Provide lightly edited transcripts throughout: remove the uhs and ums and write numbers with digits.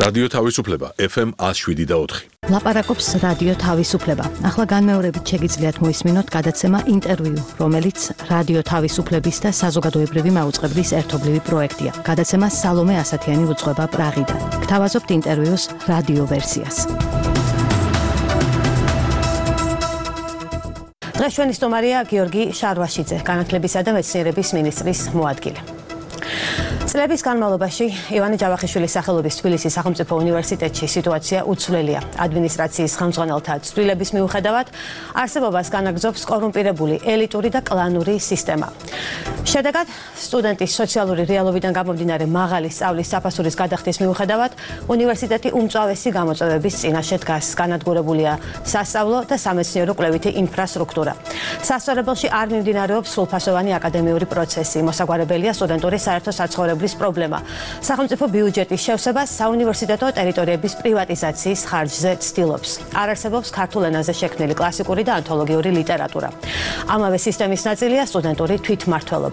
რადიო თავისუფლება FM 107.4. ლაპარაკობს რადიო თავისუფლება. ახლა განმეორებით შეგიძლიათ მოისმინოთ გადაცემა ინტერვიუ, რომელიც რადიო თავისუფლების და საზოგადოებრივი მაუწყებლის ერთობლივი პროექტია. გადაცემა სალომე ასათიანი უძღვება პრაღიდან. გთავაზობთ ინტერვიუს რადიო ვერსიას. დღეს ჩვენი სტუმარია გიორგი შარვაშიძე, განათლებისა და მეცნიერების მინისტრის მოადგილე. წლების განმავლობაში ივანე ჯავახიშვილის სახელობის თბილისის სახელმწიფო უნივერსიტეტში სიტუაცია უცვლელია. ადმინისტრაციის ხელმძღვანელთა ცვლილების მიუხედავად არსებობას განაგრძობს კორუმპირებული ელიტური და კლანური სისტემა. შედეგად, სტუდენტის სოციალური რეალობიდან გამომდინარე მაღალი სწავლის საფასურის გადახდის მიუხედავად, უნივერსიტეტი უმწვავესი გამოწვევების წინაშე დგას. განადგურებულია სასწავლო და სამეცნიერო კვლევითი ინფრასტრუქტურა. სასწავლებელში არ მიმდინარეობს სრულფასოვანი აკადემიური პროცესი. მოსაგვარებელია სტუდენტური საერთო საცხოვრებლის პრობლემა. სახელმწიფო ბიუჯეტის შევსება საუნივერსიტეტო ტერიტორიების პრივატიზაციის ხარჯზე ცდილობს. არ არსებობს ქართულ ენაზე შექმნილი კლასიკური და ანთოლოგიური ლიტერატურა. ამავე სისტემის ნაწილია სტუდენტური თვითმმართველობა.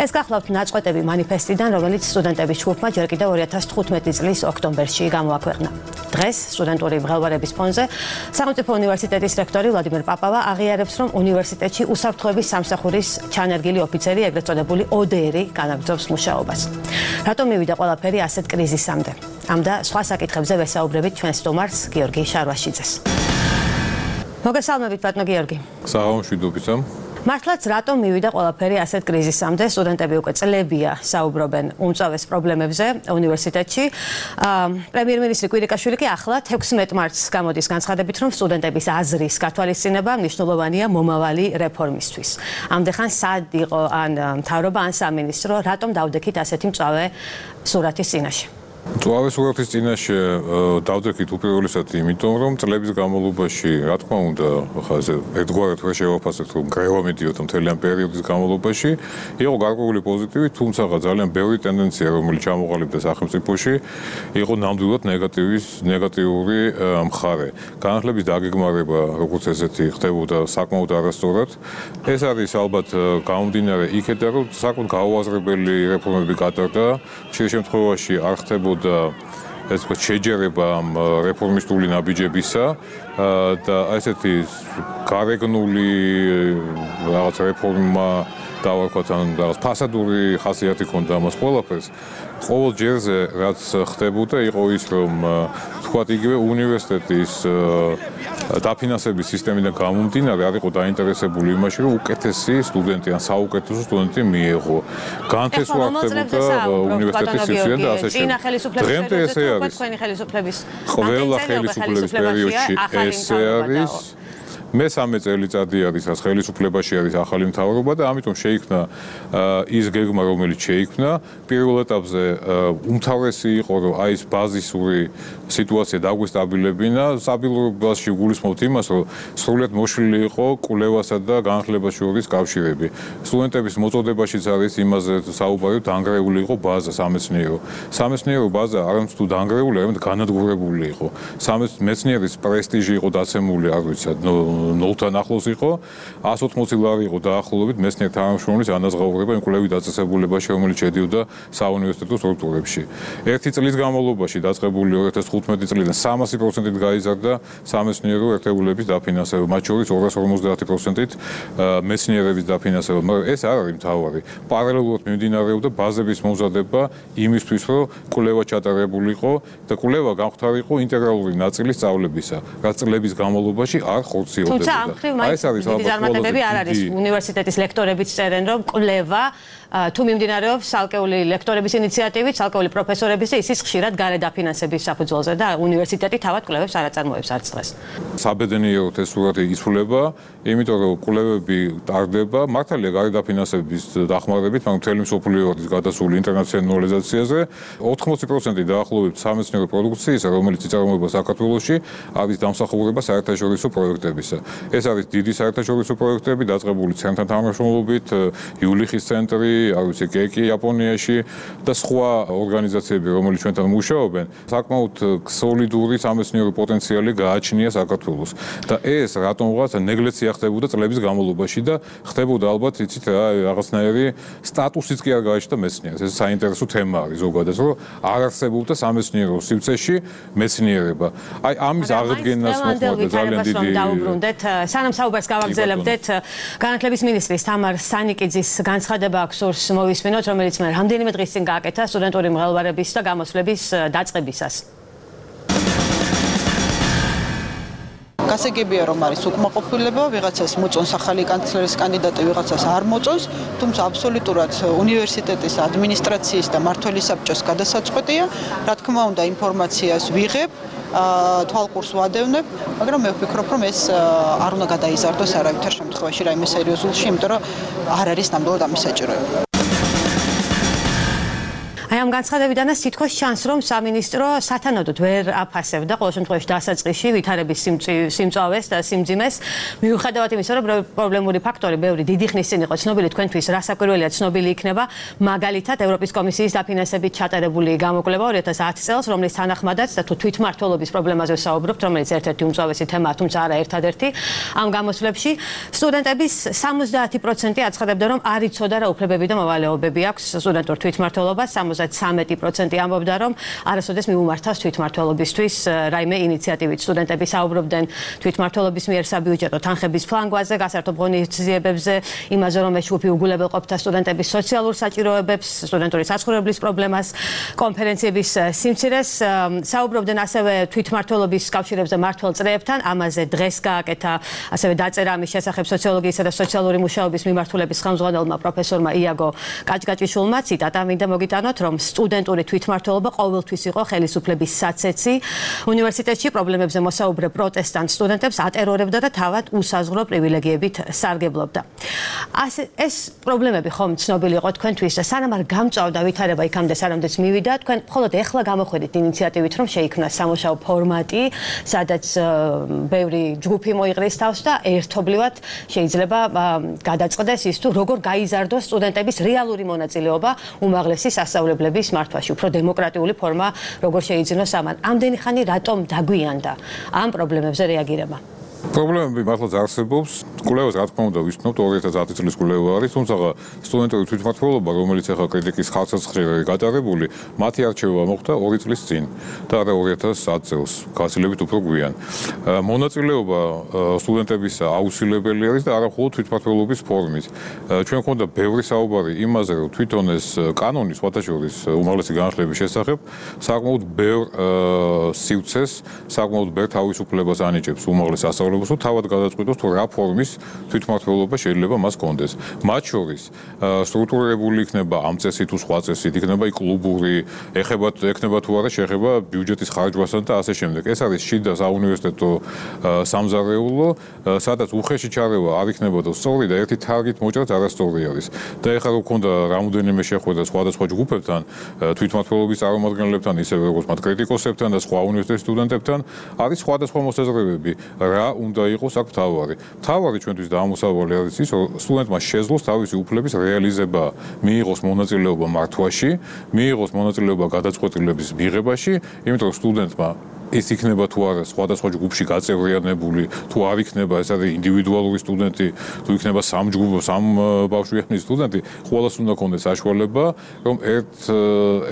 ეს გახლავთ ნაწყვეტები მანიფესტიდან, რომელიც სტუდენტების ჯგუფმა ჯერ კიდევ 2015 წლის ოქტომბერში გამოაქვეყნა. დღეს სტუდენტური მღელვარების ფონზე სახელმწიფო უნივერსიტეტის რექტორი ვლადიმერ პაპავა აღიარებს, რომ უნივერსიტეტში უსაფრთხოების სამსახურის ჩანერგილი ოფიცერი, ეგრეთ წოდებული ODR-ი განაგრძობს მუშაობას. რატომ მივიდა ყველაფერი ასეთ კრიზისამდე? ამ და სხვა საკითხებზე ვესაუბრებით ჩვენ სტუმარს გიორგი შარვაშიძეს. მოგესალმებით ბატონო გიორგი. საღამოშვიდობისა. მართლაც რატომ მივიდა ყველაფერი ასეთ კრიზისამდე? სტუდენტები უკვე წლებია საუბრობენ უმწავეს პრობლემებზე უნივერსიტეტში. პრემიერ-მინისტრი კვირიკაშვილი კი ახლა 16 მარტს გამოდის განცხადებით, რომ სტუდენტების აზრის გათვალისწინება მნიშვნელოვანია მომავალი რეფორმისთვის. ამდეხან სად იყო ან მთავრობა ან სამინისტრო, რატომ დავდექით ასეთი მწავე სურათის წინაშე? მწვავე სურათის წინაშე დავდექით უპირველესად იმიტომ, რომ წლების განმავლობაში, რა თქმა უნდა, ხა ერთგვარად ვერ შევაფასებთ, რომ გრევა მიდიოდა მთელი ამ პერიოდის განმავლობაში, იყო გარკვეული პოზიტივი, თუმცა ძალიან ბევრი ტენდენცია, რომელიც ჩამოყალიბდა სახელმწიფოში, იყო ნამდვილად ნეგატიური მხარე. განათლების დაგეგმარება, როგორც ესეთი, ხდებოდა საკმაოდ არასწორად. ეს არის ალბათ გამომდინარე იქედან, რომ საკმაოდ გაუაზრებელი რეფორმები გატარდა, ხშირ შემთხვევაში არ ხდებოდა ეს თქვა შეჯერება ამ რეფორმისტული ნაბიჯებისა და ესეთი გარეგნული რაღაც რეფორმა დავარქვათ ან რაღაც ფასადური ხასიათი ჰქონდა ამას ყველაფერს. ყოველ ჯერზე რაც ხდებოდა იყო ის, რომ თქვათ იგივე უნივერსიტეტის დაფინანსების სისტემიდან გამომდინარე არ იყო დაინტერესებული იმაში, რომ უკეთესი სტუდენტი ან საუკეთესო სტუდენტი მიეღო. განთესვა ხდებოდა უნივერსიტეტის სივრცეიდან და ასე შემდეგ. დღემდე ესე არის. ყველა ხელისუფლების პერიოდში ესე არის. მესამე წელიწადი არის, რაც ხელისუფლებაში არის ახალი მთავრობა და ამიტომ შეიქმნა ის გეგმა, რომელიც შეიქმნა. პირველ ეტაპზე უმთავრესი იყო, რომ აი ეს ბაზისური სიტუაცია დაგვესტაბილებინა. სტაბილურობაში გულისხმობთ იმას, რომ სრულად მოშლილი იყო კვლევასა და განათლებას შორის კავშირები. სტუდენტების მოწოდებაშიც არის იმაზე საუბარი, დანგრეული იყო ბაზა სამეცნიერო. სამეცნიერო ბაზა არამედ თუ დანგრეული, არამედ განადგურებული იყო. მეცნიერის პრესტიჟი იყო დაცემული, არ ვიცი, ნულთან ახლოს იყო, 180 ლარი იყო დაახლოებით მეცნიერ თანამშრომლის ანაზღაურება იმ კვლევით დაწესებულებაში, რომელიც შედიოდა საუნივერსიტეტო სტრუქტურებში. ერთი წლის განმავლობაში დაწყებული 2015 წლიდან 300%-ით გაიზარდა სამეცნიერო ერთეულების დაფინანსება, მათ შორის 250%-ით მეცნიერების დაფინანსება, მაგრამ ეს არ არის მთავარი. პარალელურად მიმდინარეობდა ბაზების მომზადება იმისთვის, რომ კვლევა ჩატარებულიყო და კვლევა გამختارიყო ინტეგრალური ნაწილი სწავლებისა, რაც წლების განმავლობაში არ ხორციელდებოდა. თუმცა ამ ხრივ მაინც დიდი წარმატებები არ არის. უნივერსიტეტის ლექტორებიც წერენ, რომ კვლევა თუ მიმდინარეობს ცალკეული ლექტორების ინიციატივით, ცალკეული პროფესორების და ისიც ხშირად გარე დაფინანსების საფუძველზე და უნივერსიტეტი თავად კვლევებს არ აწარმოებს არც დღეს. საბედნიეროდ ეს სურათი იცვლება, იმიტომ რომ კვლევები ტარდება, მართალია გარე დაფინანსების დახმარებით, მაგრამ მთელი მსოფლიო არის გადასული ინტერნაციონალიზაციაზე. 80% დაახლოებით სამეცნიერო პროდუქციისა, რომელიც იწარმოება საქართველოში, არის დამსახურება საერთაშორისო პროექტებისა. შესაბამისად. ეს არის დიდი საერთაშორისო პროექტები დაწყებული ცენტრთან თანამშრომლობით, იულიხის ცენტრი, არ ვიცი, კეკი იაპონიაში და სხვა ორგანიზაციები, რომელიც ჩვენთან მუშაობენ, საკმაოდ სოლიდური სამეცნიერო პოტენციალი გააჩნია საქართველოს. და ეს რატომღაც ნეგლექცია ხდებოდა წლების განმავლობაში და ხდებოდა ალბათ, იცით რა, რაღაცნაირი სტატუსიც კი არ გააჩნდა მეცნიერს. ეს საინტერესო თემა არის ზოგადად, რომ არ არსებობდა სამეცნიერო სივრცეში მეცნიერება. აი ამის აღდგენას მოხდა ძალიან დიდი დაუბრუნდეთ. სანამ საუბარს გავაგრძელებდეთ, განათლების მინისტრის თამარ სანიკიძის განცხადება აქვს სურს მოვისმინოთ, რომელიც მე რამდენიმე დღის წინ გააკეთა სტუდენტური მღელვარების და გამოცვლების დაწყებისას. გასაგებია რომ არის უკმაყოფილება, ვიღაცას მოწონს ახალი კანცლერის კანდიდატი, ვიღაცას არ მოწონს, თუმცა აბსოლუტურად უნივერსიტეტის ადმინისტრაციის და მმართველის საბჭოს გადასაწყვეტია, რა თქმა უნდა ინფორმაციას ვიღებ, თვალყურს ვადევნებ, მაგრამ მე ვფიქრობ, რომ ეს არ უნდა გადაიზარდოს არავითარ შემთხვევაში რაიმე სერიოზულში, იმიტომ რომ არ არის ნამდვილად ამის საჭიროება. აი ამ განცხადებიდანაც თითქოს ჩანს, რომ სამინისტრო სათანადოდ ვერ აფასებდა ყოველ შემთხვევაში დასაწყისში ვითარების სიმწვავეს და სიმძიმეს, მიუხედავად იმისა, რომ პრობლემური ფაქტორი ბევრი დიდი ხნის წინ იყო ცნობილი, თქვენთვის რასაკვირველია ცნობილი იქნება, მაგალითად ევროპის კომისიის დაფინანსებით ჩატარებული გამოკვლევა 2010 წელს, რომლის თანახმადაც და თუ თვითმმართველობის პრობლემაზე ვსაუბრობთ, რომელიც ერთ-ერთი უმწვავესი თემაა, თუმცა არა ერთადერთი, ამ გამოცვლებში სტუდენტების 70% აცხადებდა, რომ არ იცოდა რა უფლებები და მოვალეობები აქვს სტუდენტურ თვითმმართველობას, 13% ამბობდა, რომ არასოდეს მიუმართავს თვითმმართველობისთვის რაიმე ინიციატივით. სტუდენტები საუბრობდნენ თვითმმართველობის მიერ საბიუჯეტო თანხების ფლანგვაზე, გასართობ ღონისძიებებზე, იმაზე, რომ ეს ჯგუფი უგულებელყოფდა სტუდენტების სოციალურ საჭიროებებს, სტუდენტური საცხოვრებლის პრობლემას, კონფერენციების სიმცირეს. საუბრობდნენ ასევე თვითმმართველობის კავშირებზე მმართველ წრეებთან, ამაზე დღეს გააკეთა ასევე დაწერა ამის შესახებ სოციოლოგიისა და სოციალური მუშაობის მიმართულების ხელმძღვანელმა პროფესორმა იაგო კაჭკაჭიშვილმა, ციტატა მინდა მოგიტანოთ, რომ სტუდენტური თვითმმართველობა ყოველთვის იყო ხელისუფლების საცეცი. უნივერსიტეტში პრობლემებზე მოსაუბრე პროტესტანტ სტუდენტებს ატერორებდა და თავად უსაზღვრო პრივილეგიებით სარგებლობდა. ეს პრობლემები ხომ ცნობილი იყო თქვენთვის და სანამ არ გამწვავდა ვითარება იქამდე სანამდეც მივიდა, თქვენ მხოლოდ ეხლა გამოხედით ინიციატივით, რომ შეიქმნა სამუშაო ფორმატი, სადაც ბევრი ჯგუფი მოიყრის თავს და ერთობლივად შეიძლება გადაწყდეს ის თუ როგორ გაიზარდოს სტუდენტების რეალური მონაწილეობა უმაღლესი სასწავლებლების მართვაში, უფრო დემოკრატიული ფორმა როგორ შეიძინოს ამან. ამდენი ხანი რატომ დაგვიანდა ამ პრობლემებზე რეაგირება? პრობლემები მართლაც არსებობს. კვლევას რა თქმა უნდა ვისწნობთ 2010 წლის კვლევა არის, თუმცა სტუდენტური თვითმმართველობა, რომელიც ახლა კრიტიკის ხარჯზე გატარებული, მათი არჩევა მოხდა 2 წლის წინ და არა 2010 წელს, გასილებით უფრო გვიან. მონაწილეობა სტუდენტებისა აუცილებელი არის და არა მხოლოდ თვითმმართველობის ფორმით. ჩვენ გვქონდა ბევრი საუბარი იმაზე, რომ თვითონ ეს კანონი სხვათა შორის უმაღლესი განათლების შესახებ საკმაოდ ბევრ სივრცეს, საკმაოდ ბევრ თავისუფლებას ანიჭებს უმაღლეს სასწავლებელს, თავად გადაწყვიტოს თუ რა ფორმის თვითმმართველობა შეიძლება მას კონდეს. მათ შორის სტრუქტურირებული იქნება ამ წესით თუ სხვა წესით, იქნება კლუბური, ეხება თუ არა შეხება ბიუჯეტის ხარჯვასთან და ასე შემდეგ. ეს არის შიდა საუნივერსიტეტო სამზარეულო, სადაც უხეში ჩარევა არ იქნებოდა სწორი და ერთი თარგით მოჭრაც არასწორი არის. და ეხლა რო გქონდა რამოდენიმე შეხვედრა სხვადასხვა ჯგუფებთან, თვითმმართველობის წარმომადგენლებთან, ისევე როგორც მათ კრიტიკოსებთან და სხვა უნივერსიტეტის სტუდენტებთან, არის სხვადასხვა მოსაზრებები. რა უნდა იყოს აქ მთავარი. მთავარი ჩვენთვის დაამოსავალი არის ის, რომ სტუდენტმა შეძლოს თავისი უფლების რეალიზება, მიიღოს მონაწილეობა მართვაში, მიიღოს მონაწილეობა გადაწყვეტილების მიღებაში, იმიტომ რომ სტუდენტმა ის იქნება თუ არა სხვადასხვა ჯგუფში გაწევრიანებული, თუ არ იქნება ეს არის ინდივიდუალური სტუდენტი, თუ იქნება სამ ბავშვიანი სტუდენტი, ყველას უნდა კონდეს საშუალება, რომ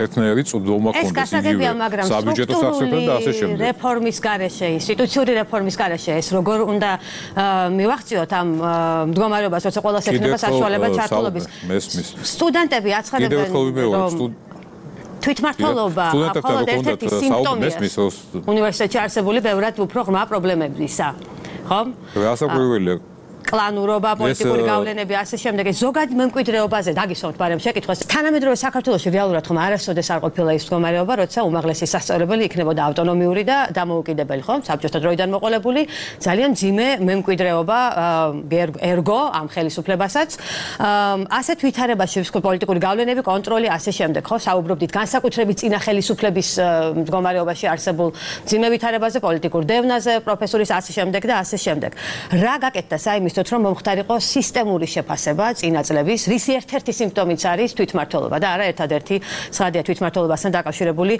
ერთნაირი წვდომა კონდეს საბიუჯეტო სასწრაფოდ და ასე შემდეგ. რეფორმის გარეშე, ინსტიტუციური რეფორმის გარეშე ეს როგორ უნდა მივახციოთ ამ მდგომარეობას, როცა ყველას ექნება საშუალება ჩართულობის. სტუდენტები აცხადებენ, რომ თვითმმართველობა მხოლოდ ერთ-ერთი სიმპტომია უნივერსიტეტში არსებული ბევრად უფრო ღრმა პრობლემებისა, ხო? რასაკვირველია კლანურობა, პოლიტიკური გავლენები, ასე შემდეგ. ზოგადი მემკვიდრეობაზე დაგისვამთ, მაგრამ შეკითხვას თანამედროვე საქართველოში რეალურად ხომ არასოდეს არ ყოფილა ის მდგომარეობა, როცა უმაღლესი სასწავლებელი იქნებოდა ავტონომიური და დამოუკიდებელი, ხომ? საბჭოთა დროიდან მოყოლებული, ძალიან მძიმე მემკვიდრეობა ერგო ამ ხელისუფლებასაც. ასეთ ვითარებაში პოლიტიკური გავლენები, კონტროლი, ასე შემდეგ, ხო? საუბრობდით განსაკუთრებით წინა ხელისუფლების მდგომარეობაში არსებულ მძიმე ვითარებაზე, პოლიტიკურ დევნაზე, პროფესორის ასე შემდეგ და ასე შემდეგ. რა გაკეთდა საიმისთვით, რომ მომხდარიყო სისტემური შეფასება წინა წლების, რის ერთ-ერთი სიმპტომიც არის თვითმმართველობა და არა ერთადერთი ცხადია თვითმმართველობასთან დაკავშირებული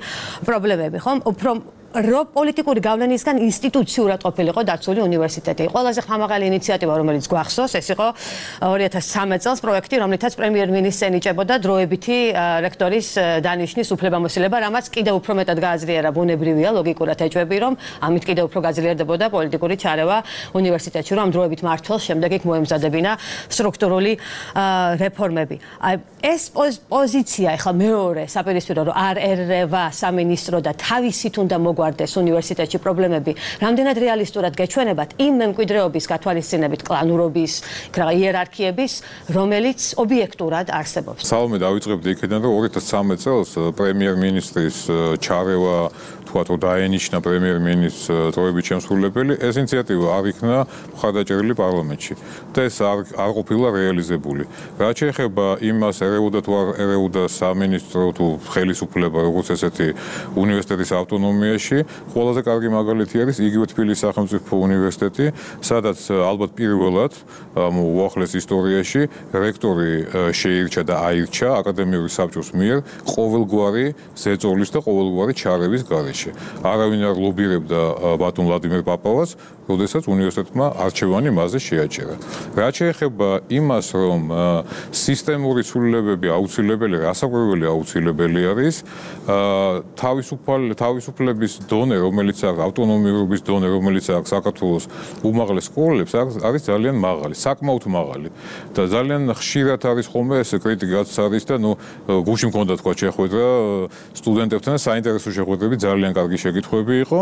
პრობლემები, ხომ? უფრო პოლიტიკური გავლენისგან ინსტიტუციურად ყოფილიყო დაცული უნივერსიტეტი. ყველაზე ხმამაღალი ინიციატივა, რომელიც გვახსოვს, ეს იყო 2013 წელს პროექტი, რომლითაც პრემიერ-მინისტრს ენიჭებოდა დროებითი რექტორის დანიშვნის უფლებამოსილება, რამაც კიდევ უფრო მეტად გააზრიერა ბუნებრივია, ლოგიკურად ეჭვები, რომ ამით კიდევ უფრო გაძლიერდებოდა პოლიტიკური ჩარევა უნივერსიტეტში, რომ დროებით მართლს შემდეგ იქ მოემზადებინა სტრუქტურული რეფორმები. ეს პოზიცია ახლა მეორე საპირისპირო, რომ არ ერევა სამინისტრო და თავისით უნდა მოგვარდეს უნივერსიტეტში პრობლემები, რამდენად რეალისტურად გეჩვენებათ იმ მემკვიდრეობის გათვალისწინებით კლანურობის, იერარქიების, რომელიც ობიექტურად არსებობს. სალომე დავიწყებდი იქიდან, რომ 2013 წელს პრემიერ-მინისტრის ჩარევა თქვათ, რომ დაენიშნა პრემიერ-მინისტრს დროებით შემსრულებელი, ეს ინიციატივა არ იქნა მხარდაჭერილი პარლამენტში და ეს არ ყოფილა რეალიზებული. რაც შეეხება იმას, ერეოდა თუ არ ერეოდა სამინისტრო თუ ხელისუფლება, როგორც ესეთი უნივერსიტეტის ავტონომიაში, ყველაზე კარგი მაგალითი არის იგივე თბილისის სახელმწიფო უნივერსიტეტი, სადაც ალბათ პირველად უახლეს ისტორიაში რექტორი შეირჩა და აირჩა აკადემიური საბჭოს მიერ ყოველგვარი ზეწოლის და ყოველგვარი ჩარევის გარეშე. არავინ არ ლობირებდა ბატონ ვლადიმერ პაპავას, როდესაც უნივერსიტეტმა არჩევანი მასზე შეაჩერა. რაც შეეხება იმას, რომ სისტემური ცვლილებები აუცილებელი, რასაკვირველი აუცილებელი არის, თავისუფლების დონე, რომელიც აქვს ავტონომიურობის დონე, რომელიც აქვს საქართველოს უმაღლეს სკოლებს, არის ძალიან მაღალი, საკმაოდ მაღალი. და ძალიან ხშირად არის ხოლმე ეს კრიტიკაც არის და გუშინ მქონდა თქვა შეხვედრა სტუდენტებთან, საინტერესო შეხვედრები, ძალიან კარგი შეკითხვები იყო,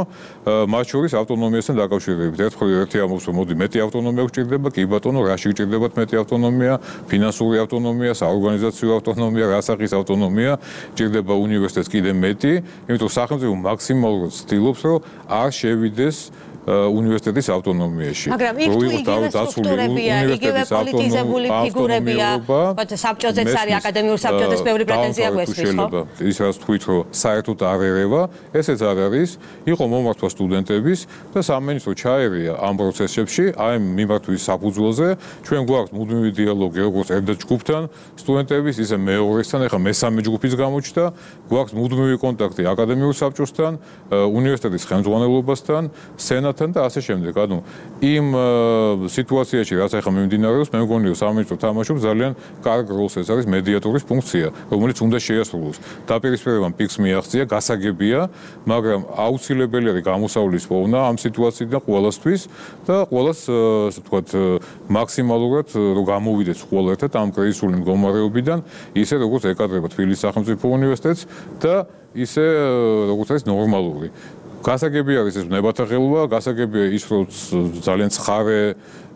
მათ შორის ავტონომიასთან დაკავშირებით. ერთი ამბობს, რომ მოდი მეტი ავტონომია გვჭირდება, კი ბატონო, რაში გვჭირდებათ მეტი ავტონომია, ფინანსური ავტონომია, საორგანიზაციო ავტონომია, რასახის ავტონომია, ჭირდება უნივერსიტეტს კიდე მეტი, იმიტომ სახელმწიფო მაქსიმალურად ცდილობს, რომ არ შევიდეს უნივერსიტეტის ავტონომიაში. მაგრამ იქ თუ იგივე სტრუქტურებია, იგივე პოლიტიზებული ფიგურებია, საბჭოზეც არის აკადემიურ საბჭოზეც ბევრი პრეტენზია გვესმის, ხო? ის რაც თქვით, რომ საერთოდ არ ერევა, ესეც არ არის, იყო მომართვა სტუდენტების და სამინისტრო ჩაერია ამ პროცესებში, აი მიმართვის საფუძველზე, ჩვენ გვაქვს მუდმივი დიალოგი როგორც ერთ ჯგუფთან, სტუდენტების, ისე მეორესთან, ეხლა მესამე ჯგუფის გამოჩნდა, გვაქვს მუდმივი კონტაქტი აკადემიურ საბჭოსთან, უნივერსიტეტის ხელმძღვანელობასთან, სენატთან და ასე შემდეგ. ანუ იმ სიტუაციაში, რაც ახლა მიმდინარეობს, მე მგონი, რომ სამინისტრო თამაშობს ძალიან კარგ როლს, ეს არის მედიატორის ფუნქცია, რომელიც უნდა შეასრულოს. დაპირისპირებამ პიკს მიაღწია, გასაგებია, მაგრამ აუცილებელი არის გამოსავლის პოვნა ამ სიტუაციიდან ყველასთვის და ყველას, ასე ვთქვათ, მაქსიმალურად რომ გამოვიდეს ყველა ერთად ამ კრიზისული მდგომარეობიდან, ისე როგორც ეკადრება თბილისის სახელმწიფო უნივერსიტეტს და ისე როგორც არის ნორმალური. გასაგები არის ეს ნებათა ხელვა, გასაგებია ის, რომ ძალიან ცხარე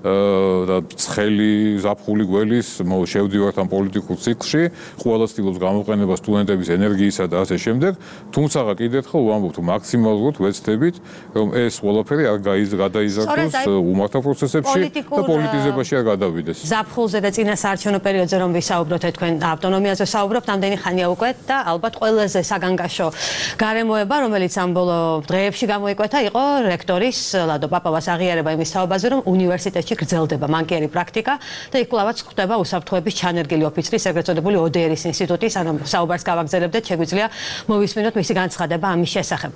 და ცხელი ზაფხული გველის შევდივართ ამ პოლიტიკურ ციკლში, ყველა ცდილობს გამოყენება სტუდენტების ენერგიისა და ასე შემდეგ, თუმცა კიდევ ერთხელ ვამბობთ, მაქსიმალურად ვეცდებით, რომ ეს ყველაფერი არ გადაიზარდოს უმართა პროცესებში და პოლიტიზებაში არ გადავიდეს. ზაფხულზე და წინა საარჩევნო პერიოდზე რომ ვისაუბროთ, თქვენ ავტონომიაზე საუბრობთ, ამდენი ხანია უკვე და ალბათ ყველაზე საგანგაშო გარემოება, რომელიც ამ ბოლო დღეებში გამოიკვეთა, იყო რექტორის ლადო პაპავას აღიარება იმის თაობაზე, რომ უნივერსიტეტში გრძელდება მანკიერი პრაქტიკა და იქ კლავაც ხდება უსაფრთხოების ჩანერგილი ოფიცრის, ეგრეთ წოდებული ODR-ის ინსტიტუტის, ანუ საუბარს გავაგზავნებდეთ, შეგვიძლია მოვისმინოთ მისი განცხადება ამის შესახებ.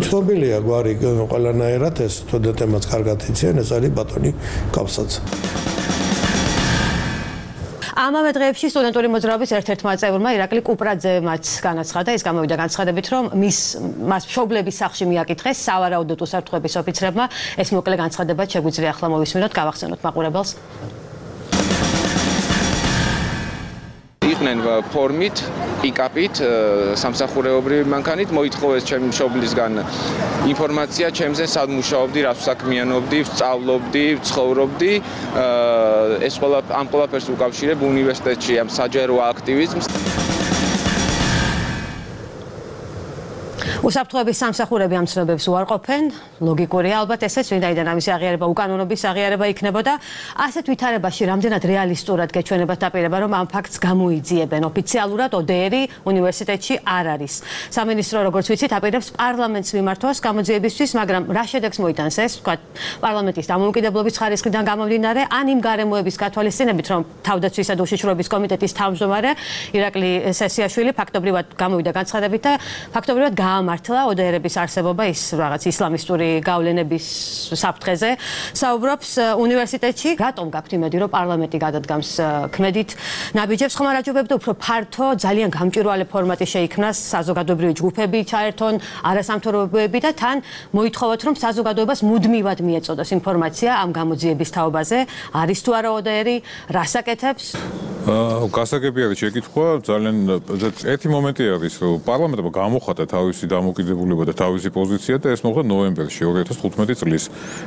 ცნობილია გვარი ყველანაირად, ეს სტუდენტებმაც კარგად იციან, ეს არის ბატონი კავსაძე. ამავე დღეებში სტუდენტური მოძრაობის ერთ-ერთმა წევრმა ირაკლი კუპრაძემაც განაცხადა, ის გამოვიდა განცხადებით, რომ მას მშობლების სახლში მიაკითხეს სავარაუდოდ უსაფრთხოების ოფიცრებმა. ეს მოკლე განცხადება შეგვიძლია ახლა მოვისმინოთ, გავახსენოთ მაყურებელს. იყვნენ ფორმით, პიკაპით, სამსახურეობრივი მანქანით, მოითხოვეს ჩემი მშობლისგან ინფორმაცია ჩემზე, სად მუშაობდი, რას ვსაქმიანობდი, ვსწავლობდი, ვცხოვრობდი. ეს ამ ყველაფერს უკავშირებ უნივერსიტეტში ამ საჯარო აქტივიზმს. უსაფრთხოების სამსახურები ამ ცნობებს უარყოფენ, ლოგიკურია ალბათ ესეც, ვინაიდან ამისი აღიარება უკანონობის აღიარება იქნებოდა. ასეთ ვითარებაში რამდენად რეალისტურად გეჩვენებათ დაპირება, რომ ამ ფაქტს გამოიძიებენ. ოფიციალურად ODR-ი უნივერსიტეტში არ არის. სამინისტრო, როგორც ვიცით, აპირებს პარლამენტს მიმართოს გამოძიებისთვის, მაგრამ რა შედეგს მოიტანს ეს, ვთქვათ, პარლამენტის დამოუკიდებლობის ხარისხიდან გამომდინარე, ან იმ გარემოების გათვალისწინებით, რომ თავდაცვისა და უშიშროების კომიტეტის თავმჯდომარე ირაკლი სესიაშვილი ფაქტობრივად გამოვიდა განცხადებით და ფაქტობრივად მართლა ODR-ების არსებობა ის რაღაც ისლამისტური გავლენების საფრთხეზე საუბრობს უნივერსიტეტში. რატომ გაქვთ იმედი, რომ პარლამენტი გადადგამს ქმედით ნაბიჯებს, ხომ არ აჯობებდა უფრო ფართო, ძალიან გამჭვირვალე ფორმატი შეიქმნას, საზოგადოებრივი ჯგუფები ჩაერთონ, არასამთავრობოები და თან მოითხოვოთ, რომ საზოგადოებას მუდმივად მიეწოდოს ინფორმაცია ამ გამოძიების თაობაზე, არის თუ არა ODR-ი, რას აკეთებს? გასაგები არის შეკითხვა, ძალიან ერთი მომენტი არის, რომ პარლამენტმა გამოხატა თავისი დამოუკიდებლობა და თავისი პოზიცია და ეს მოხდა ნოემბერში 2015 წლის.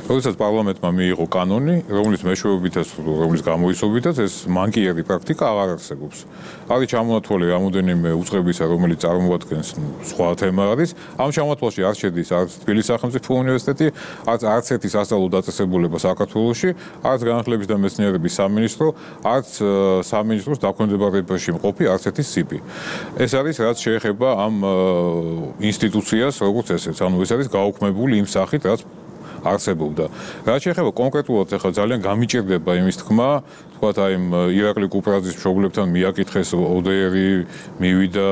როდესაც პარლამენტმა მიიღო კანონი, რომლის მეშვეობითაც, რომლის გამოისობითაც ეს მანკიერი პრაქტიკა აღარ არსებობს. არის ჩამონათვალი რამოდენიმე უწყებისა, რომელიც წარმოადგენს სხვა თემა არის. ამ ჩამონათვალში არ შედის არც თბილისის სახელმწიფო უნივერსიტეტი, არც ერთი სასწავლო დაწესებულება საქართველოში, არც განათლების და მეცნიერების სამინისტრო, არც სამინისტროს დაქვემდებარებაში მყოფი არც ერთი სიპი. ეს არის რაც შეეხება ამ ინსტიტუციას, როგორც ესეც, ანუ ეს არის გაუქმებული იმ სახით, რაც არსებობდა. რაც შეეხება კონკრეტულად, ახლა ძალიან გამიჭირდება იმის თქმა, თქვათ აი ირაკლი კუპრაძის მშობლებთან მიაკითხეს ODR-ი, მივიდა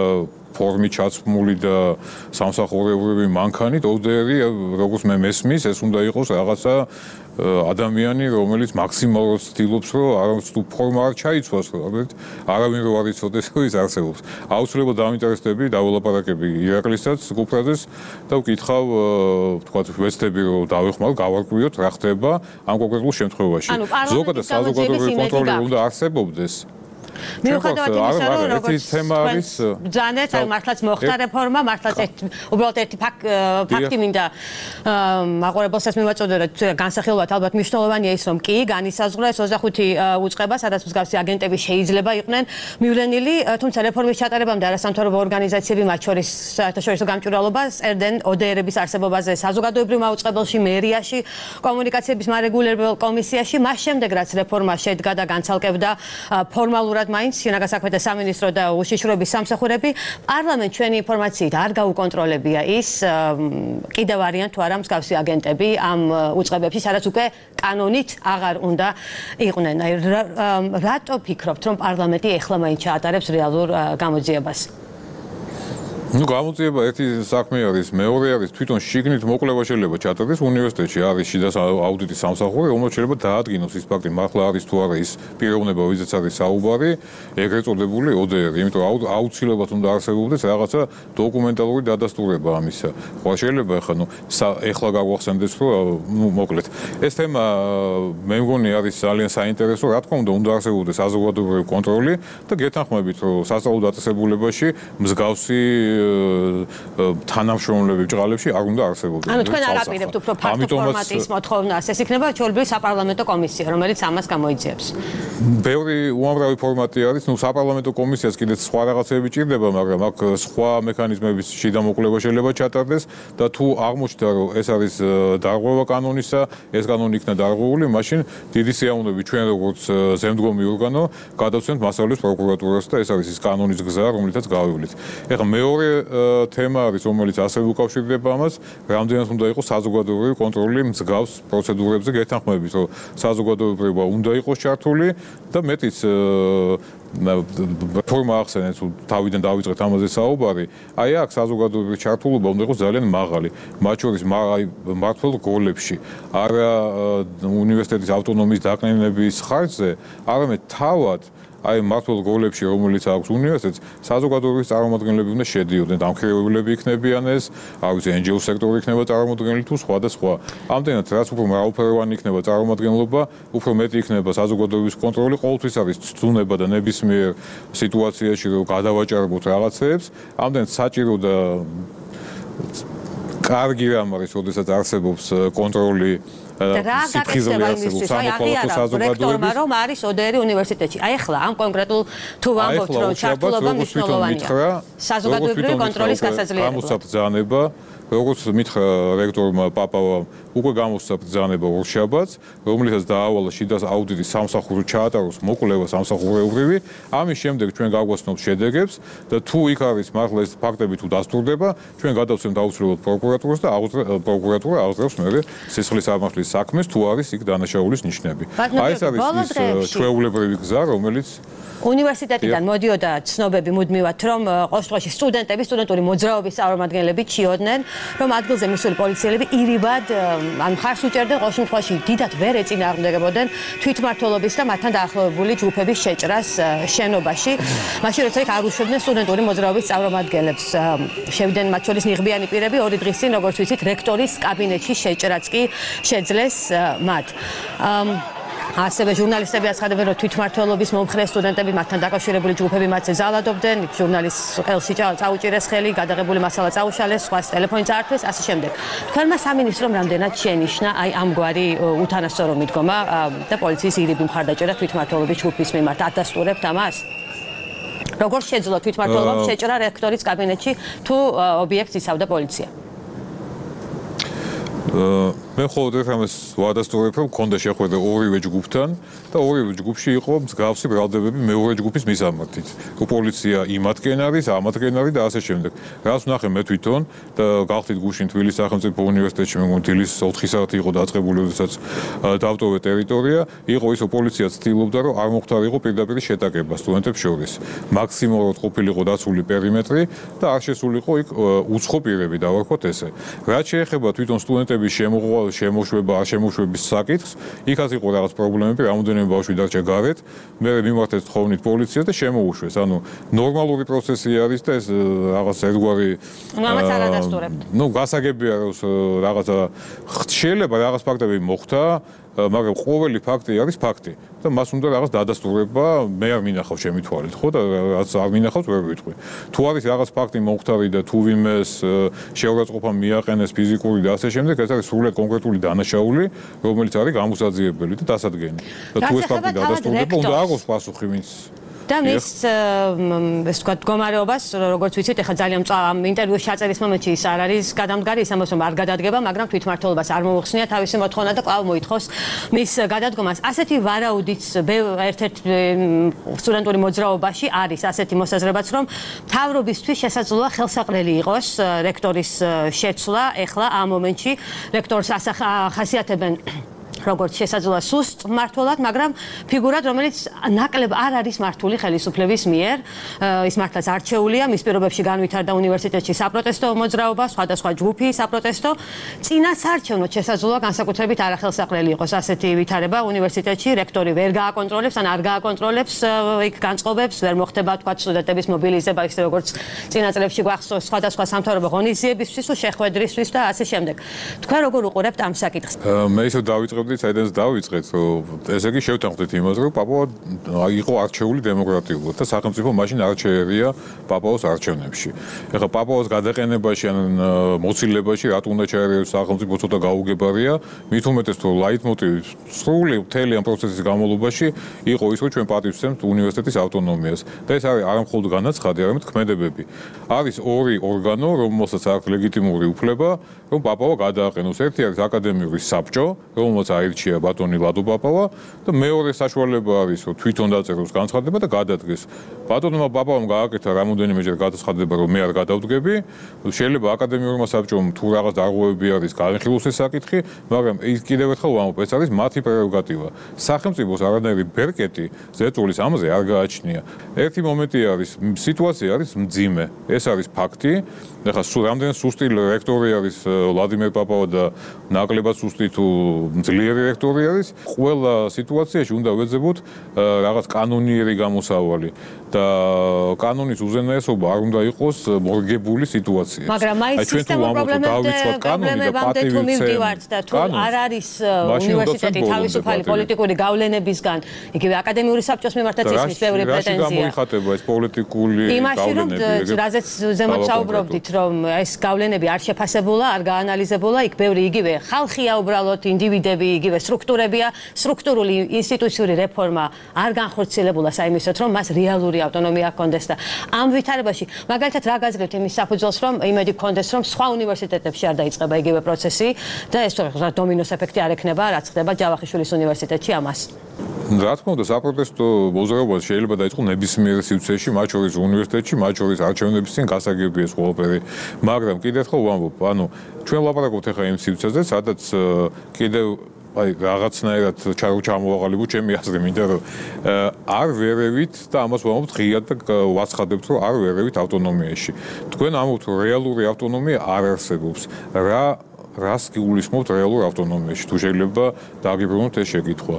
ფორმით ჩაცმული და სამსახურებრივი მანქანით, ODR-ი, როგორც მე მესმის, ეს უნდა იყოს რაღაცა ადამიანი, რომელიც მაქსიმალურად ცდილობს, რომ არც თუ ფორმა არ ჩაიცვას, არავინ რო არ იცოდეს, რომ ის არსებობს. აუცილებლად დაინტერესდები, დაველაპარაკები ირაკლისთან, კუპრაძეს და ვკითხავ, თქვათ, ვეცდები, რომ დავეხმარო, გავარკვიოთ, რა ხდება ამ კონკრეტულ შემთხვევაში. ზოგადად საზოგადოებრივი კონტროლი უნდა არსებობდეს. მიუხედავად იმისა, რომ როგორც ბრძანეთ, აი მართლაც მოხდა რეფორმა, მართლაც უბრალოდ ერთი ფაქტი მინდა მაყურებელსაც მივაწოდო, რომ განსახილვად ალბათ მნიშვნელოვანია ის, რომ კი განისაზღვრა ეს 25 უწყება, სადაც მსგავსი აგენტები შეიძლება იყვნენ მივლენილი, თუმცა რეფორმის ჩატარებამდე არასამთავრობო ორგანიზაციები, მათ შორის საერთაშორისო გამჭვირვალობა წერდნენ ODR-ების არსებობაზე საზოგადოებრივ მაუწყებელში, მერიაში, კომუნიკაციების მარეგულირებელ კომისიაში, მას შემდეგ რაც რეფორმა შედგა და განცალკევდა ფორმალურად მაინც შინაგან საქმეთა სამინისტრო და უშიშროების სამსახურები, პარლამენტ ჩვენი ინფორმაციით არ გაუკონტროლებია ის, კიდევ არიან თუ არა მსგავსი აგენტები ამ უწყებებში, სადაც უკვე კანონით აღარ უნდა იყვნენ. რატო ფიქრობთ, რომ პარლამენტი ეხლა მაინც ჩაატარებს რეალურ გამოძიებას? გამოძიება ერთი საქმე არის, მეორე არის თვითონ შიგნით მოკვლევა შეიძლება ჩატარდეს უნივერსიტეტში, არის შიდა აუდიტის სამსახური, რომელიც შეიძლება დაადგინოს ის ფაქტი, მართლა არის თუ არა ის პიროვნება, ვიზაც არის საუბარი, ეგრეთ წოდებული ODR, იმიტომ რომ აუცილებლად უნდა არსებობდეს რაღაცა დოკუმენტალური დადასტურება ამისა. ხო, შეიძლება ეხლა გავახსენდეს, რომ მოკლედ. ეს თემა მე მგონი არის ძალიან საინტერესო, რა თქმა უნდა არსებობდეს საზოგადოებრივი კონტროლი და გეთანხმებით, რომ სასწავლო დაწესებულებაში მსგავსი თანამშრომლები ბჭყალებში არ უნდა არსებობდეს. ანუ თქვენ არ აპირებთ უფრო ფართო ფორმატის მოთხოვნას, ეს იქნება ჩვეულებრივი საპარლამენტო კომისია, რომელიც ამას გამოიძიებს. ბევრი უამრავი ფორმატი არის, საპარლამენტო კომისიას კიდეც სხვა რაღაცები ჭირდება, მაგრამ აქ სხვა მექანიზმების შიდა მოკვლევა შეიძლება ჩატარდეს და თუ აღმოჩნდა, რომ ეს არის დარღვევა კანონისა, ეს კანონი იქნა დარღვეული, მაშინ დიდი სიამოვნებით ჩვენ როგორც ზემდგომი ორგანო გადავცემთ მასწავლებლის პროკურატურას და ეს არის ის კანონის გზა, რომლითაც გავივლით. ეხლა მეორე თემა არის, რომელიც ასევე უკავშირდება ამას, რამდენად უნდა იყოს საზოგადოებრივი კონტროლი მსგავს პროცედურებზე გეთანხმებით, რომ საზოგადოებრივობა უნდა იყოს ჩართული და მეტიც ფორმა ახსენეთ, თავიდან დავიწყეთ ამაზე საუბარი, აი აქ საზოგადოებრივი ჩართულობა უნდა იყოს ძალიან მაღალი, მათ შორის მმართველ როლებში, არა უნივერსიტეტის ავტონომიის დაკნინების ხარჯზე, არამედ თავად აი მართლ როლებში, რომელიც აქვს უნივერსიტეტს, საზოგადოების წარმომადგენლები უნდა შედიოდნენ, დამქირავებლები იქნებიან ეს, არ ვიცი, NGO სექტორი იქნება წარმომადგენელი თუ სხვა და სხვა. ამდენად რაც უფრო მრავალფეროვანი იქნება წარმომადგენლობა, უფრო მეტი იქნება საზოგადოების კონტროლი, ყოველთვის არის ცდუნება და ნებისმიერ სიტუაციაში რომ გადავაჭარბოთ რაღაცეებს, ამდენად საჭირო და კარგი რამ არის, როდესაც არსებობს კონტროლი რა გაკეთდება იმისთვის, აი აღიარა რექტორმა რომ არის ODR უნივერსიტეტში. აი ახლა ამ კონკრეტულ თუ ვამბობთ რომ ჩართულობა მნიშვნელოვანია. საზოგადოებრივი კონტროლის გასაძლიერებლად. გამოსაბრძანება როგორც მითხრა რექტორმა პაპავამ, უკვე გამოსცა ბრძანება ორშაბათს, რომელიცაც დაავალა შიდა აუდიტის სამსახურო ჩაატაროს მოკვლევა სამსახურეობრივი. ამის შემდეგ ჩვენ გავგვაცნობთ შედეგებს და თუ იქ არის მართლა ეს ფაქტები თუ დასტურდება, ჩვენ გადავცემთ აუცილებლად პროკურატურას და პროკურატურა აღძრავს მერე სისხლის სამართლის საქმეს, თუ არის იქ დანაშაულის ნიშნები. აი ეს არის ის ჩვეულებრივი გზა, რომელიც უნივერსიტეტიდან მოდიოდა ცნობები მუდმივად, რომ ყოველდღიურში სტუდენტური მოძრაობის წარმომადგენლები ჩიოდნენ, რომ ადგილზე მისული პოლიციელები ირიბად ან მხარს უჭერდნენ, ყოველ შემთხვევაში დიდად ვერ ეწინააღმდეგებოდნენ თვითმმართველობის და მათთან დაახლოებული ჯგუფების შეჭრას შენობაში. მაშინ როცა იქ არ უშვებდნენ სტუდენტური მოძრაობის წარმომადგენლებს, შევიდნენ მათ შორის ნიღბიანი პირები, 2 დღის წინ, როგორც ვიცით, რექტორის კაბინეტში შეჭრაც კი შეძლეს მათ. ასევე ჟურნალისტები აცხადებენ, რომ თვითმმართველობის მომხრე სტუდენტები მათთან დაკავშირებული ჯგუფები მათზე ზალადობდნენ, ჟურნალისტს ყელში წაუჭირეს ხელი, გადაღებული მასალა წაუშალეს, სხვას ტელეფონი წაართვეს, ასე შემდეგ. თქვენმა სამინისტრომ რამდენად შენიშნა აი ამგვარი უთანასწორო მიდგომა და პოლიციის ირიბი მხარდაჭერა თვითმმართველობის ჯგუფის მიმართ, ადასტურებთ ამას? როგორ შეძლო თვითმმართველობამ შეჭრა რექტორის კაბინეტში თუ ობიექტს იცავდა პოლიცია? მე ხოლმე ამას ვადასტურებ, რომ მქონდა შეხვედრა ორივე ჯგუფთან და ორივე ჯგუფში იყო მსგავსი ბრალდებები მეორე ჯგუფის მისამართით. პოლიცია იმათკენ არის, ამათკენ არის და ასე შემდეგ. რას ვნახე მე თვითონ და გავხდით გუშინ თბილისის სახელმწიფო უნივერსიტეტში, მე მგონი დილის 4 საათი იყო დაწყებული, როდესაც დავტოვე ტერიტორია, იყო ის, რომ პოლიცია ცდილობდა, რომ არ მოხდარიყო პირდაპირ შეტაკება სტუდენტებს შორის. მაქსიმალურად ყოფილიყო დაცული პერიმეტრი და არ შესულიყო იქ უცხო პირები, დავარქვათ ესე. რაც შეეხება თვითონ სტუდენტების შემოშვება, არ შემოშვების საკითხს, იქაც იყო რაღაც პრობლემები, რამოდენიმე ბავშვი დარჩა გარეთ, მე მიმართეს თხოვნით პოლიციას და შემოუშვეს. ანუ ნორმალური პროცესი არის და ეს რაღაც ერთგვარი ამას არ ადასტურებთ. გასაგებია რომ რაღაცა შეიძლება რაღაც ფაქტები მოხდა, მაგრამ ყოველი ფაქტი არის ფაქტი და მას უნდა რაღაც დადასტურება, მე არ მინახავ ჩემი თვალით, ხო და რაც არ მინახავს ვერ ვიტყვი. თუ არის რაღაც ფაქტი მომხდარი და თუ ვინმეს შეურაცხყოფა მიაყენეს ფიზიკური და ასე შემდეგ, ეს არის სრულად კონკრეტული დანაშაული, რომელიც არის გამოსაძიებელი და დასადგენი. და თუ ეს ფაქტი დადასტურდება, უნდა აღოს პასუხი ვინც და მის ეს თქვა მდგომარეობას, როგორც ვიცით, ეხლა ძალიან ინტერვიუს ჩაწერის მომენტში ის არ არის გადამდგარი, ის ამბობს, რომ არ გადადგება, მაგრამ თვითმმართველობას არ მოუხსნია თავისი მოთხოვნა და კვლავ მოითხოვს მის გადადგომას. ასეთი ვარაუდიც ერთ-ერთ სტუდენტური მოძრაობაში არის ასეთი მოსაზრებაც, რომ მთავრობისთვის შესაძლოა ხელსაყრელი იყოს რექტორის შეცვლა, ეხლა ამ მომენტში რექტორს ახასიათებენ როგორც შესაძლოა სუსტ მმართველად, მაგრამ ფიგურად, რომელიც ნაკლებ არ არის მართული ხელისუფლების მიერ, ის მართლაც არჩეულია, მის პირობებში განვითარდა უნივერსიტეტში საპროტესტო მოძრაობა, სხვადასხვა ჯგუფი საპროტესტო, წინასაარჩევნოდ შესაძლოა განსაკუთრებით არახელსაყრელი იყოს ასეთი ვითარება უნივერსიტეტში, რექტორი ვერ გააკონტროლებს, ან არ გააკონტროლებს იქ განწყობებს, ვერ მოხდება თქვა სტუდენტების მობილიზება, ისე როგორც წინა წლებში გვახსოვს სხვადასხვა სამთავრობო ღონისძიებისთვის, შეხვედრისთვის და ასე შემდეგ. თქვენ როგორ უყურებთ ამ საკითხს? მე ისე დავიწყებდი საიდანაც დავიწყეთ, რომ ესე იგი შევთანხმდით იმას, რომ პაპავა იყო არჩეული დემოკრატიულად და სახელმწიფო მაშინ არ შეერია პაპაოს არჩევნებში. ეხლა პაპაოს გადაყენებაში ან მოცილებაში რატო უნდა ჩაერიოს სახელმწიფო ცოტა გაუგებარია, მით უმეტეს თუ ლაიტმოტივი სრული მთელი ამ პროცესის განმავლობაში იყო ის, რომ ჩვენ პატივს ვცემთ უნივერსიტეტის ავტონომიას და ეს არის არა მხოლოდ განაცხადი, არამედ ქმედებები. არის ორი ორგანო, რომელსაც აქვს ლეგიტიმური უფლება, რომ პაპავა გადააყენოს. ერთი არის აკადემიური საბჭო, რომელსაც აირჩია ბატონი ლადო პაპავა და მეორე საშუალება არის, რომ თვითონ დაწეროს განცხადება და გადადგეს. ბატონმა პაპავამ გააკეთა რამოდენიმეჯერ განცხადება, რომ მე არ გადავდგები. შეიძლება აკადემიურმა საბჭომ თუ რაღაც დარღვევები არის, განხილოს ეს საკითხი, მაგრამ ის კიდევ ერთხელ ვამბობ, ეს არის მათი პრეროგატივა. სახელმწიფოს არანაირი ბერკეტი ზეწოლის ამაზე არ გააჩნია. ერთი მომენტი არის, სიტუაცია არის მძიმე. ეს არის ფაქტი. ეხლა რამდენი სუსტი რექტორი არის ვლადიმერ პაპავა და ნაკლებად სუსტი თუ მძლიერი ძლიერი რექტორი არის, ყველა სიტუაციაში უნდა ვეძებოთ რაღაც კანონიერი გამოსავალი და კანონის უზენაესობა არ უნდა იყოს მორგებული სიტუაცია. მაგრამ აი სისტემურ პრობლემებამდე თუ მივდივართ და თუ არ არის უნივერსიტეტი თავისუფალი პოლიტიკური გავლენებისგან, იგივე აკადემიური საბჭოს მიმართაც ისმის ბევრი პრეტენზია. რაში გამოიხატება ეს პოლიტიკური გავლენები? რაზეც ზემოთ საუბრობდით, რომ ეს გავლენები არ შეფასებულა, არ გაანალიზებულა, იქ ბევრი იგივე ხალხია უბრალოდ, ინდივიდები, იგივე სტრუქტურებია, სტრუქტურული ინსტიტუციური რეფორმა არ განხორციელებულა საიმისოთ, რომ მას რეალური ავტონომია ჰქონდეს და ამ ვითარებაში მაგალითად რა გაძლევთ იმის საფუძველს, რომ იმედი ჰქონდეს, რომ სხვა უნივერსიტეტებში არ დაიწყება იგივე პროცესი და ეს დომინოს ეფექტი არ ექნება, რაც ხდება ჯავახიშვილის უნივერსიტეტში ამას. რა თქმა უნდა, საპროტესტო მოძრაობა შეიძლება დაიწყო ნებისმიერ სივრცეში, მათ შორის უნივერსიტეტში, მათ შორის არჩევნების წინ გასაგებია ეს ყველაფერი. მაგრამ კიდევ ერთხელ ვამბობ, ანუ ჩვენ ლაპარაკობთ ახლა იმ სივრცეზე, სადაც კიდევ აი რაღაცნაირად ჩამოვაყალიბო ჩემი აზრი, მინდა რომ არ ვერევით და ამას ვამბობთ ღიად და ვაცხადებთ, რომ არ ვერევით ავტონომიაში. თქვენ ამბობთ, რომ რეალური ავტონომია არ არსებობს. რას გულისხმობთ რეალურ ავტონომიაში? თუ შეიძლება დააგიბრუნოთ ეს შეკითხვა.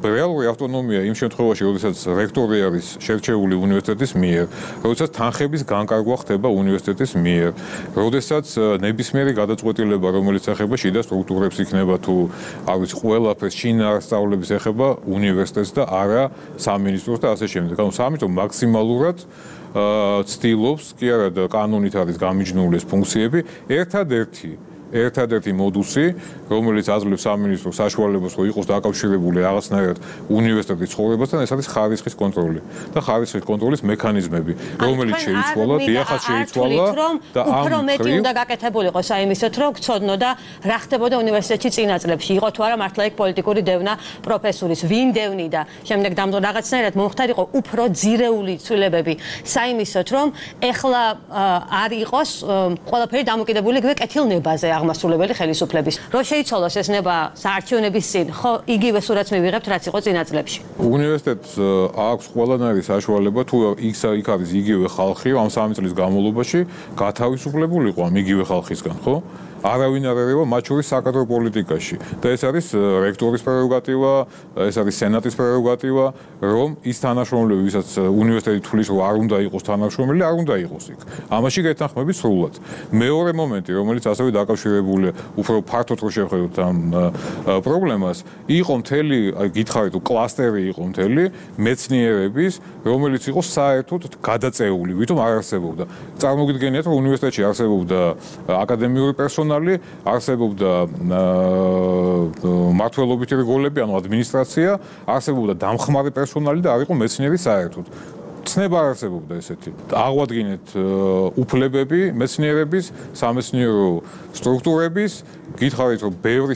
რეალური ავტონომია იმ შემთხვევაში, როდესაც რექტორი არის შერჩეული უნივერსიტეტის მიერ, როდესაც თანხების განკარგვა ხდება უნივერსიტეტის მიერ, როდესაც ნებისმიერი გადაწყვეტილება, რომელიც ეხება შიდა სტრუქტურებს იქნება თუ არ ვიცი, ყველაფერს შინაარსწავლების ეხება უნივერსიტეტს და არა სამინისტროს და ასე შემდეგ. ანუ სამინისტრო მაქსიმალურად ცდილობს, კი არა და კანონით არის გამიჯნული ეს ფუნქციები, ერთადერთი მოდუსი, რომელიც აძლევს სამინისტროს საშუალებას, რომ იყოს დაკავშირებული რაღაცნაირად უნივერსიტეტის ცხოვრებასთან, ეს არის ხარისხის კონტროლი და ხარისხის კონტროლის მექანიზმები, რომელიც შეიცვალა, დიახაც შეიცვალა და ამ უფრო მეტი უნდა გაკეთებულიყო საიმისოთ, რომ გწოდნოდა რა ხდებოდა უნივერსიტეტში წინა წლებში, იყო თუ არა მართლა იქ პოლიტიკური დევნა პროფესურის, ვინ დევნიდა, შემდეგ რაღაცნაირად მომხდარიყო უფრო ძირეული ცვლილებები საიმისოთ, რომ ეხლა არ იყოს ყველაფერი დამოკიდებული იგივე კეთილნებაზე აღმასრულებელი ხელისუფლების. რო შეიცვალოს ეს ნება საარჩევნების წინ, ხო იგივე სურათს მივიღებთ, რაც იყო წინა წლებში. უნივერსიტეტს აქვს ყველანაირი საშუალება, თუ იქ არის იგივე ხალხი, ამ 3 წლის განმავლობაში გათავისუფლებულიყო ამ იგივე ხალხისგან, ხო? არავინ არ ერევა მათ შორის საკადრო პოლიტიკაში და ეს არის რექტორის პრეროგატივა, ეს არის სენატის პრეროგატივა, რომ ის თანაშრომლები, ვისაც უნივერსიტეტი თulis რომ არ უნდა იყოს თანაშრომელი, არ უნდა იყოს იქ. ამაში გეთანხმებით სრულად. მეორე მომენტი, რომელიც ასევე დაკავშირებულია უფრო ფართოდ რო შევხედოთ ამ პრობლემას, იყო მთელი, გითხარით, კლასტერი იყო მთელი მეცნიერების, რომელიც იყო საერთოდ გადაწეული, ვითომ არ არსებობდა. წარმოგიდგენიათ, რომ უნივერსიტეტში არსებობდა აკადემიური პერსონალი, არსებობდა მმართველობითი რგოლები, ანუ ადმინისტრაცია, არსებობდა დამხმარე პერსონალი და არ იყო მეცნიერი საერთოდ. ცნება არ არსებობდა ესეთი. აღვადგინეთ უფლებები მეცნიერების, სამეცნიერო სტრუქტურების, გითხარით, რომ ბევრი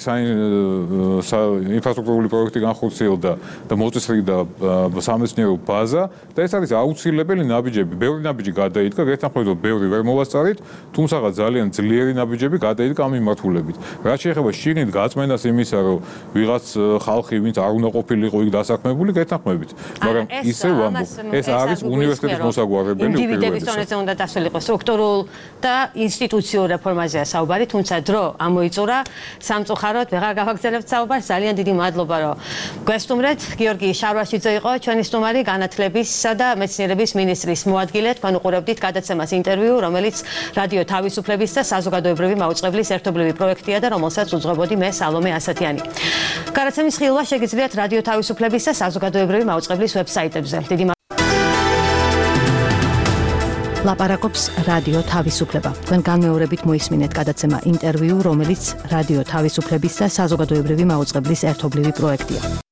ინფრასტრუქტურული პროექტი განხორციელდა და მოწესრიგდა სამეცნიერო ბაზა და ეს არის აუცილებელი ნაბიჯები. ბევრი ნაბიჯი გადაიდგა, გეთანხმებით, რომ ბევრი ვერ მოვასწარით, თუმცა ძალიან ძლიერი ნაბიჯები გადაიდგა ამ მიმართულებით. რაც შეეხება შიგნით გაწმენდას იმისა, რომ ვიღაც ხალხი, ვინც არ უნდა ყოფილიყო იქ დასაქმებული, გეთანხმებით. მაგრამ ისე ვამბობ, ეს არის უნივერსიტეტის მოსაგვარებელი უპირველესად. ინდივიდების დონეზე უნდა დასრულიყო სტრუქტურულ და ინსტიტუციურ რეფორმაზეა საუბარი, თუმცა დრო ამოიწურა სამწუხაროდ ვეღარ გავაგრძელებთ საუბარს. ძალიან დიდი მადლობა, რომ გვესტუმრეთ. გიორგი შარვაშიძე იყო ჩვენი სტუმარი, განათლებისა და მეცნიერების მინისტრის მოადგილე. თქვენ უყურებდით გადაცემას ინტერვიუ, რომელიც რადიო თავისუფლების და საზოგადოებრივი მაუწყებლის ერთობლივი პროექტია და რომელსაც უძღვებოდი მე სალომე ასათიანი. გადაცემის ხილვა შეგიძლიათ რადიო თავისუფლების და საზოგადოებრივი მაუწყებლის ვებსაიტებზე. დიდი ლაპარაკობს რადიო თავისუფლება. თქვენ განმეორებით მოისმინეთ გადაცემა ინტერვიუ, რომელიც რადიო თავისუფლების და საზოგადოებრივი მაუწყებლის ერთობლივი პროექტია.